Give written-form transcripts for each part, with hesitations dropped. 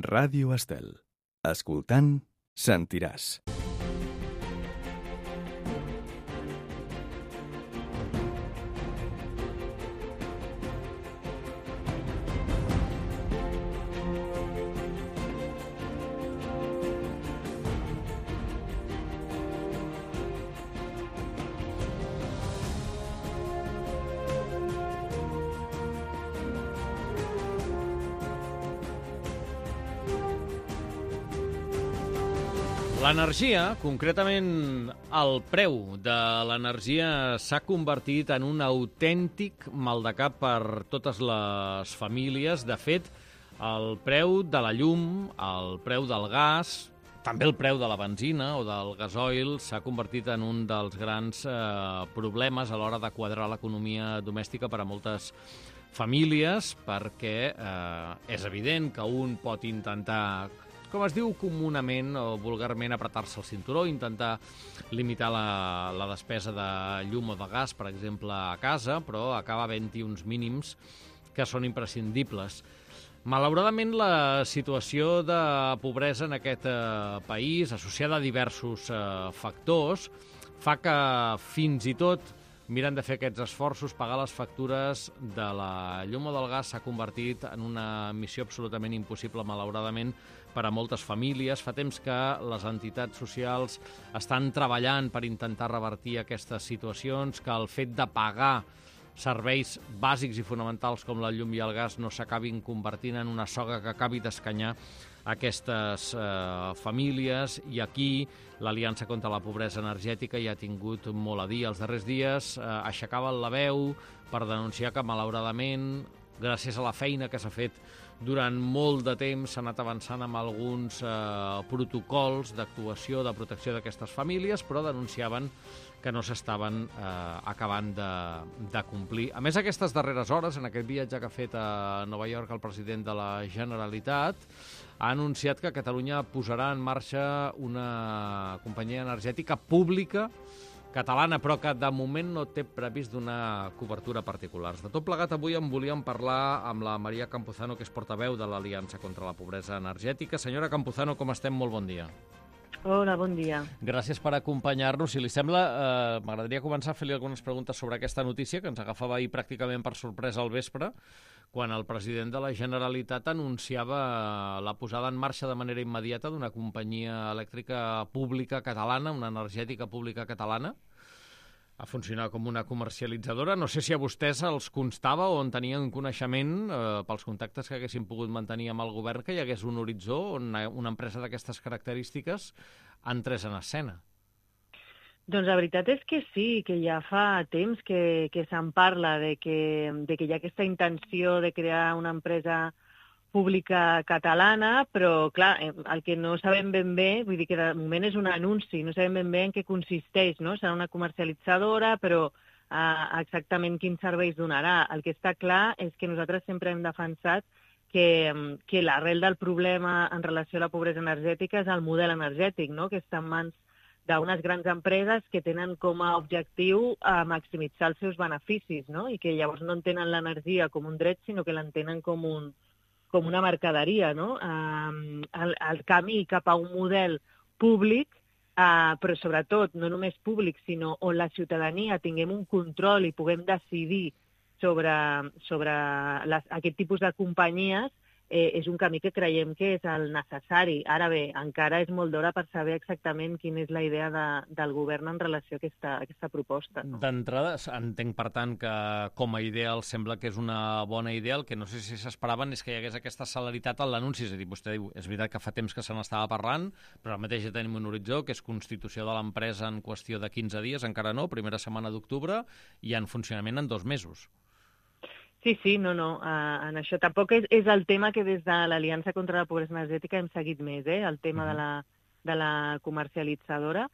Ràdio Estel. Escoltant, sentiràs. L'energia, concretament el preu de l'energia, s'ha convertit en un autèntic maldecap per totes les famílies. De fet, el preu de la llum, el preu del gas, també el preu de la benzina o del gasoil s'ha convertit en un dels grans problemes a l'hora de quadrar l'economia domèstica per a moltes famílies, perquè és evident que un pot intentar, com es diu comunament o vulgarment, apretar-se el cinturó, intentar limitar la despesa de llum o de gas, per exemple, a casa, però acaba havent-hi uns mínims que són imprescindibles. Malauradament, la situació de pobresa en aquest país, associada a diversos factors, fa que fins i tot mirant de fer aquests esforços, pagar les factures de la llum o del gas s'ha convertit en una missió absolutament impossible, malauradament, per a moltes famílies. Fa temps que les entitats socials estan treballant per intentar revertir aquestes situacions, que el fet de pagar serveis bàsics i fonamentals com la llum i el gas no s'acabin convertint en una soga que acabi d'escanyar aquestes famílies. I aquí l'Aliança contra la Pobresa Energètica ja ha tingut molt a dir. Els darrers dies aixecaven la veu per denunciar que, malauradament, gràcies a la feina que s'ha fet durant molt de temps, s'ha anat avançant amb alguns protocols d'actuació, de protecció d'aquestes famílies, però denunciaven que no s'estaven acabant de complir. A més, aquestes darreres hores, en aquest viatge que ha fet a Nova York el president de la Generalitat, ha anunciat que Catalunya posarà en marxa una companyia energètica pública catalana, però que de moment no té previst donar cobertura a particulars. De tot plegat, avui en volíem parlar amb la Maria Campuzano, que és portaveu de l'Aliança contra la Pobresa Energètica. Senyora Campuzano, com estem? Molt bon dia. Hola, bon dia. Gràcies per acompanyar-nos. Si li sembla, m'agradaria començar a fer-li algunes preguntes sobre aquesta notícia, que ens agafava ahir pràcticament per sorpresa al vespre, quan el president de la Generalitat anunciava la posada en marxa de manera immediata d'una companyia elèctrica pública catalana, una energètica pública catalana, a funcionar com una comercialitzadora. No sé si a vostès els constava o en tenien coneixement, pels contactes que haguessin pogut mantenir amb el govern, que hi hagués un horitzó on una empresa d'aquestes característiques entrés en escena. Doncs la veritat és que sí, que ja fa temps que se'n parla de que hi ha aquesta intenció de crear una empresa pública catalana, però, clar, el que no sabem ben bé, vull dir que de moment és un anunci, no sabem ben bé en què consisteix, no? Serà una comercialitzadora, però exactament quins serveis donarà. El que està clar és que nosaltres sempre hem defensat que l'arrel del problema en relació a la pobresa energètica és el model energètic, no? Que està en mans d'unes grans empreses que tenen com a objectiu maximitzar els seus beneficis, no? I que llavors no entenen l'energia com un dret, sinó que l'entenen com una mercaderia, no? El camí cap a un model públic, però sobretot no només públic, sinó on la ciutadania tinguem un control i puguem decidir sobre aquest tipus de companyies, és un camí que creiem que és el necessari. Ara bé, encara és molt d'hora per saber exactament quina és la idea del govern en relació a aquesta proposta. No? D'entrada, entenc, per tant, que com a idea els sembla que és una bona idea. El que no sé si s'esperaven és que hi hagués aquesta celeritat en l'anunci. És a dir, vostè diu, és veritat que fa temps que se n'estava parlant, però ara mateix ja tenim un horitzó, que és constitució de l'empresa en qüestió de 15 dies, encara no, primera setmana d'octubre, i en funcionament en 2 mesos. Sí, no, en això tampoc és el tema que des de l'Aliança contra la Pobresa Energètica hem seguit més, el tema de la comercialitzadora,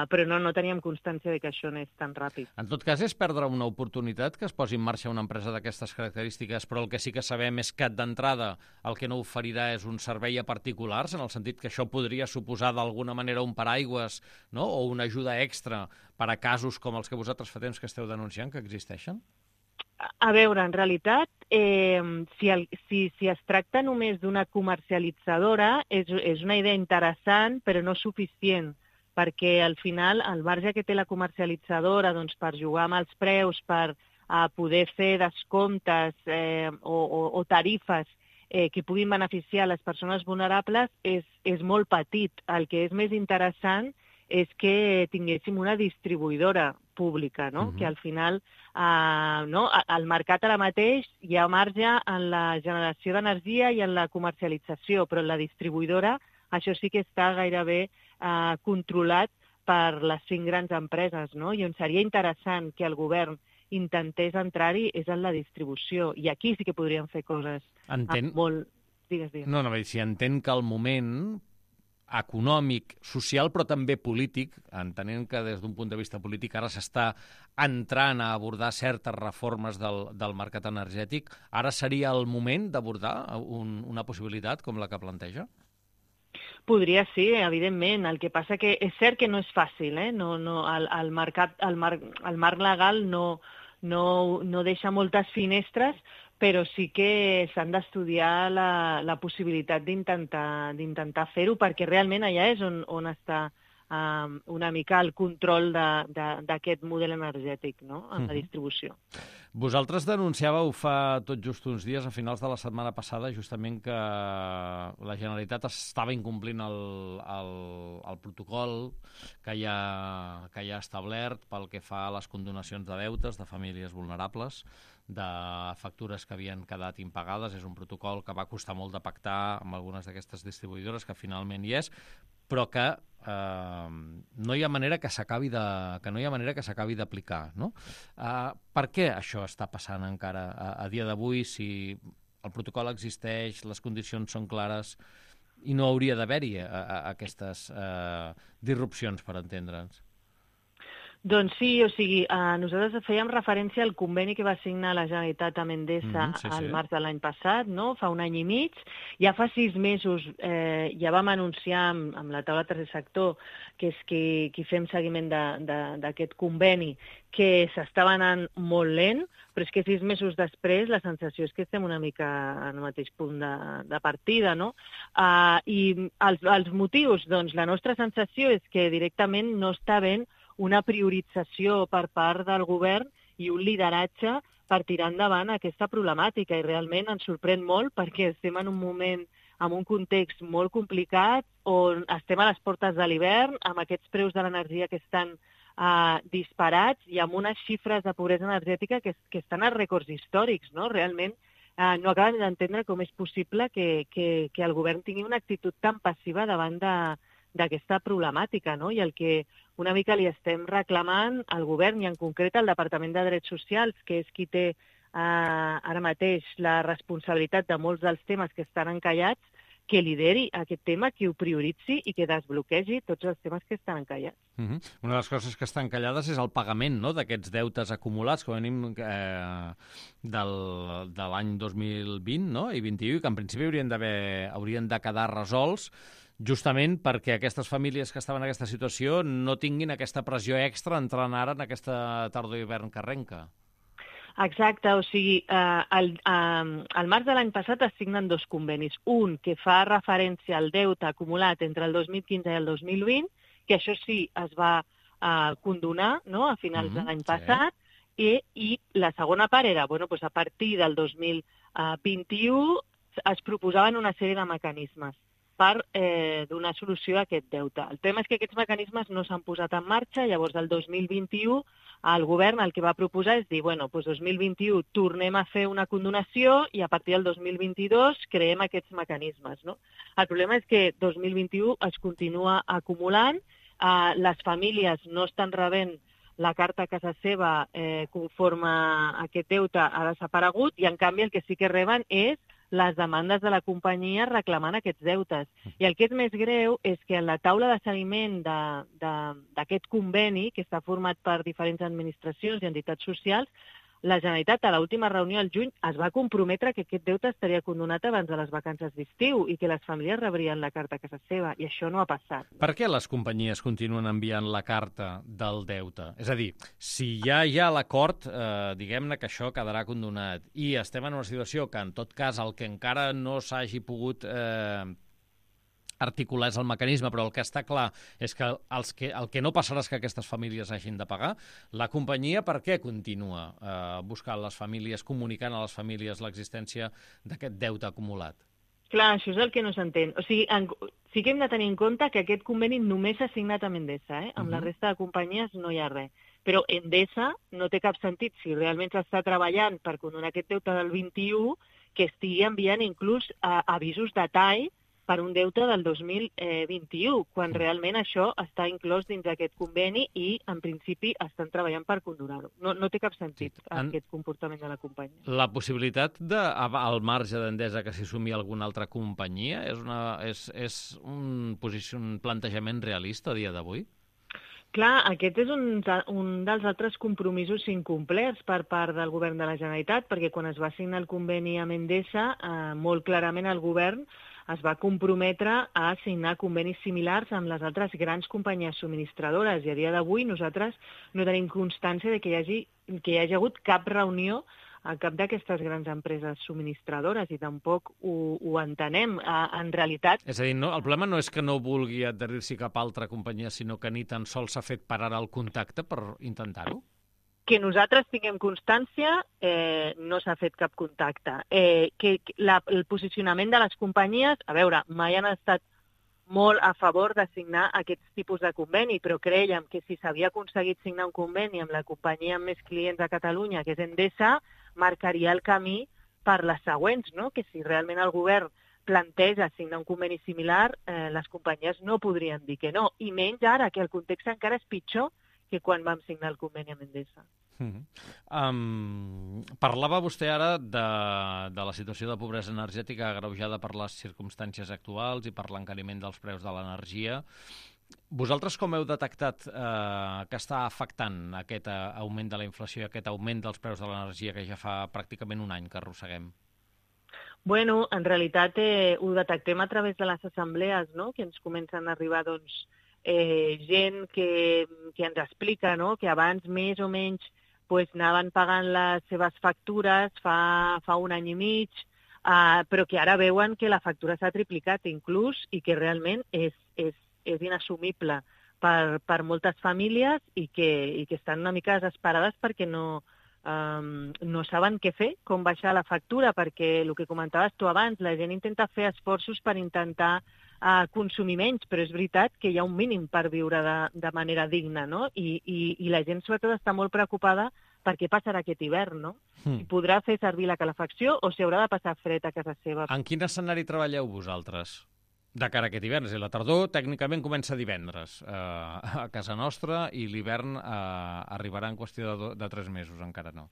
però no teníem constància de que això anés tan ràpid. En tot cas, és perdre una oportunitat que es posi en marxa una empresa d'aquestes característiques, però el que sí que sabem és que d'entrada el que no oferirà és un servei a particulars, en el sentit que això podria suposar d'alguna manera un paraigües, no? O una ajuda extra per a casos com els que vosaltres fa temps que esteu denunciant que existeixen? A veure, en realitat, si es tracta només d'una comercialitzadora, és una idea interessant, però no suficient, perquè al final el marge que té la comercialitzadora doncs, per jugar amb els preus, per poder fer descomptes o tarifes que puguin beneficiar les persones vulnerables és molt petit. El que és més interessant és que tinguéssim una distribuïdora pública, no? Que al final al mercat ara mateix hi ha marge en la generació d'energia i en la comercialització, però en la distribuïdora això sí que està gairebé controlat per les 5 grans empreses, no? I on seria interessant que el govern intentés entrar-hi és en la distribució. I aquí sí que podríem fer coses molt... Digues. No, si entenc que el moment econòmic, social, però també polític, entenent que des d'un punt de vista polític ara s'està entrant a abordar certes reformes del mercat energètic, ara seria el moment d'abordar una possibilitat com la que planteja? Podria ser, evidentment. El que passa que és cert que no és fàcil, el marc legal no deixa moltes finestres, però sí que s'han d'estudiar la possibilitat d'intentar fer-ho, perquè realment allà és on està una mica el control d'aquest model energètic, no?, en la distribució. Vosaltres denunciàveu fa tot just uns dies, a finals de la setmana passada, justament que la Generalitat estava incomplint el protocol que hi ha establert pel que fa a les condonacions de deutes de famílies vulnerables, de factures que havien quedat impagades. És un protocol que va costar molt de pactar amb algunes d'aquestes distribuïdores, que finalment hi és, però que no hi ha manera que s'acabi d'aplicar, no? Per què això està passant encara a dia d'avui, si el protocol existeix, les condicions són clares i no hauria d'haver-hi aquestes disrupcions, per entendre'ns? Doncs sí, o sigui, nosaltres fèiem referència al conveni que va signar la Generalitat amb Endesa al març de l'any passat, no? Fa un any i mig. Ja fa 6 mesos ja vam anunciar amb la taula tercer sector, que és qui fem seguiment d'aquest conveni, que s'estava anant molt lent, però és que 6 mesos després la sensació és que estem una mica en el mateix punt de partida, no? I els motius, doncs la nostra sensació és que directament no està havent una priorització per part del govern i un lideratge per tirar endavant aquesta problemàtica. I realment ens sorprèn molt perquè estem en un moment, en un context molt complicat, on estem a les portes de l'hivern, amb aquests preus de l'energia que estan disparats i amb unes xifres de pobresa energètica que estan a rècords històrics, no? Realment no acabem d'entendre com és possible que el govern tingui una actitud tan passiva davant d'aquesta problemàtica, no? I el que una mica li estem reclamant al govern i en concret al Departament de Drets Socials, que és qui té ara mateix la responsabilitat de molts dels temes que estan encallats, que lideri aquest tema, que ho prioritzi i que desbloquegi tots els temes que estan encallats. Una de les coses que estan encallades és el pagament, no?, d'aquests deutes acumulats, com a mínim de l'any 2020, no?, i 21, que en principi haurien de quedar resolts, justament perquè aquestes famílies que estaven en aquesta situació no tinguin aquesta pressió extra entrant ara en aquesta tardor i hivern que arrenca. Exacte, o sigui, al març de l'any passat es signen 2 convenis. Un que fa referència al deute acumulat entre el 2015 i el 2020, que això sí es va condonar, no?, a finals de l'any passat, i la segona part era, a partir del 2021 es proposaven una sèrie de mecanismes per donar solució a aquest deute. El tema és que aquests mecanismes no s'han posat en marxa, llavors el 2021 el govern el que va proposar és dir, 2021 tornem a fer una condonació i a partir del 2022 creem aquests mecanismes, no? El problema és que 2021 es continua acumulant, les famílies no estan rebent la carta a casa seva conforme aquest deute ha desaparegut i en canvi el que sí que reben és les demandes de la companyia reclamant aquests deutes. I el que és més greu és que en la taula de seguiment d'aquest conveni, que està format per diferents administracions i entitats socials, la Generalitat a l'última reunió al juny es va comprometre que aquest deute estaria condonat abans de les vacances d'estiu i que les famílies rebrien la carta a casa seva, i això no ha passat. Per què les companyies continuen enviant la carta del deute? És a dir, si ja hi ha l'acord, diguem-ne que això quedarà condonat, i estem en una situació que, en tot cas, el que encara no s'hagi pogut articular és el mecanisme, però el que està clar és que el que no passarà és que aquestes famílies hagin de pagar. La companyia per què continua buscant les famílies, comunicant a les famílies l'existència d'aquest deute acumulat? Clar, això és el que no s'entén. O sigui, sí que hem de tenir en compte que aquest conveni només s'ha signat amb Endesa, Amb la resta de companyies no hi ha res. Però Endesa no té cap sentit, si realment s'està treballant per condonar aquest deute del 21, que estigui enviant inclús avisos de tall per un deute del 2021, quan realment això està inclòs dins d'aquest conveni i, en principi, estan treballant per condonar-ho. No té cap sentit aquest comportament de la companyia. La possibilitat, al marge d'Endesa, que s'hi sumi alguna altra companyia, és un plantejament realista a dia d'avui? Clar, aquest és un dels altres compromisos incomplerts per part del govern de la Generalitat, perquè quan es va signar el conveni amb Endesa, molt clarament el govern es va comprometre a signar convenis similars amb les altres grans companyies subministradores, i a dia d'avui nosaltres no tenim constància de que hi hagi hagut cap reunió a cap d'aquestes grans empreses subministradores, i tampoc ho entenem. En realitat... És a dir, el problema no és que no vulgui adherir-s'hi cap altra companyia, sinó que ni tan sols s'ha fet parar el contacte per intentar-ho? Que nosaltres tinguem constància, no s'ha fet cap contacte. El posicionament de les companyies, a veure, mai han estat molt a favor de signar aquests tipus de conveni, però crèiem que si s'havia aconseguit signar un conveni amb la companyia amb més clients a Catalunya, que és Endesa, marcaria el camí per les següents, no? Que si realment el govern planteja signar un conveni similar, les companyies no podrien dir que no, i menys ara, que el context encara és pitjor que quan vam signar el conveni amb Endesa. Parlava vostè ara de la situació de pobresa energètica agreujada per les circumstàncies actuals i per l'encariment dels preus de l'energia. Vosaltres com heu detectat que està afectant aquest augment de la inflació i aquest augment dels preus de l'energia que ja fa pràcticament un any que arrosseguem? Bueno, en realitat ho detectem a través de les assemblees, no? Que ens comencen a arribar, doncs, gent que ens explica, no? Que abans més o menys anaven pagant les seves factures fa un any i mig, però que ara veuen que la factura s'ha triplicat inclús, i que realment és inassumible per moltes famílies, i que estan una mica desesperades perquè no saben què fer, com baixar la factura, perquè el que comentaves tu abans, la gent intenta fer esforços per intentar consumir menys, però és veritat que hi ha un mínim per viure de manera digna, no? I la gent sobretot està molt preocupada per què passarà aquest hivern, no? Si podrà fer servir la calefacció o si haurà de passar fred a casa seva. En quin escenari treballeu vosaltres de cara a aquest hivern? És a dir, la tardor tècnicament comença divendres a casa nostra, i l'hivern arribarà en qüestió de 3 mesos, encara no.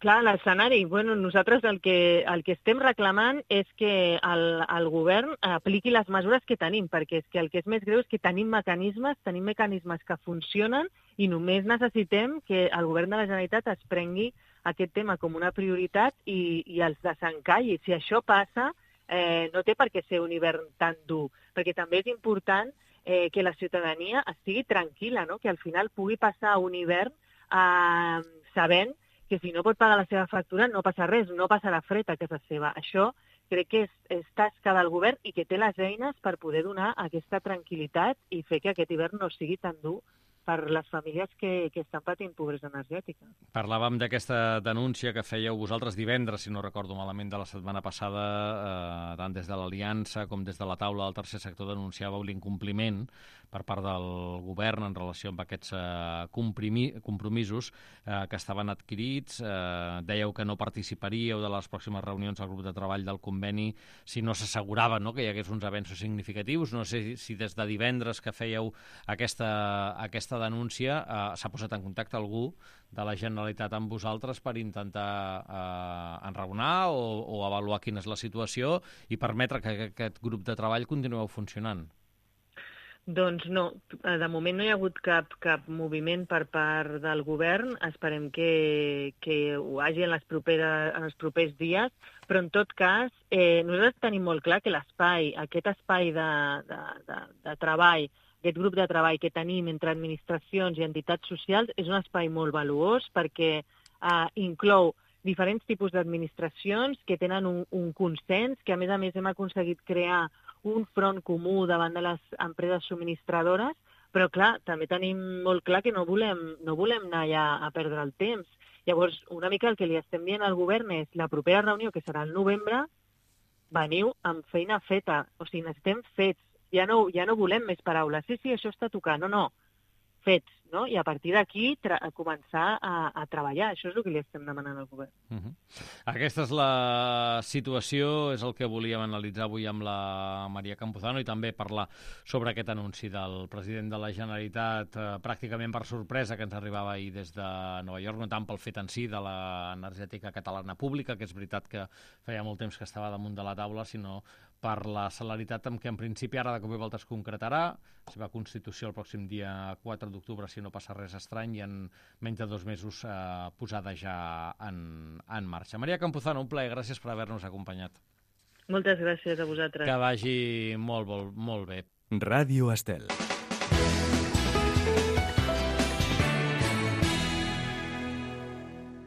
Clar, l'escenari, nosaltres el que estem reclamant és que el govern apliqui les mesures que tenim, perquè és que el que és més greu és que tenim mecanismes que funcionen, i només necessitem que el govern de la Generalitat es prengui aquest tema com una prioritat i els desencalli. Si això passa, no té per què ser un hivern tan dur, perquè també és important que la ciutadania estigui tranquil·la, no? Que al final pugui passar un hivern sabent que si no pot pagar la seva factura no passa res, no passarà fred a casa seva. Això crec que és tasca del govern, i que té les eines per poder donar aquesta tranquil·litat i fer que aquest hivern no sigui tan dur per les famílies que estan patint pobresa energètica. Parlàvem d'aquesta denúncia que fèieu vosaltres divendres, si no recordo malament, de la setmana passada, tant des de l'Aliança com des de la taula del tercer sector denunciàveu l'incompliment per part del govern en relació amb aquests compromisos que estaven adquirits. Dèieu que no participaríeu de les pròximes reunions del grup de treball del conveni si no s'assegurava, no?, que hi hagués uns avenços significatius. No sé si des de divendres que fèieu aquesta denúncia s'ha posat en contacte algú de la Generalitat amb vosaltres per intentar enraonar o avaluar quina és la situació i permetre que aquest grup de treball continueu funcionant. Doncs no, de moment no hi ha hagut cap moviment per part del govern. Esperem que ho hagi en els propers dies, però en tot cas nosaltres tenim molt clar que aquest espai de treball, aquest grup de treball que tenim entre administracions i entitats socials és un espai molt valuós perquè inclou diferents tipus d'administracions que tenen un consens, que a més hem aconseguit crear un front comú davant de les empreses subministradores, però clar, també tenim molt clar que no volem anar allà a perdre el temps. Llavors, una mica el que li estem dient al govern és la propera reunió, que serà al novembre, veniu amb feina feta, o sigui, necessitem fets. Ja no volem més paraules. Sí, això està tocant. No, fets, no? I a partir d'aquí començar a treballar. Això és el que li estem demanant al govern. Aquesta és la situació, és el que volíem analitzar avui amb la Maria Campuzano i també parlar sobre aquest anunci del president de la Generalitat, pràcticament per sorpresa, que ens arribava ahir des de Nova York, no tant pel fet en si de l'energètica catalana pública, que és veritat que feia molt temps que estava damunt de la taula, sinó per la celeritat amb què en principi ara de cop i volta es concretarà, la seva constitució el pròxim dia 4 d'octubre, si no passa res estrany, i en menys de 2 mesos posada ja en marxa. Maria Campuzano, un plaer, gràcies per haver-nos acompanyat. Moltes gràcies a vosaltres. Que vagi molt bé. Ràdio Estel.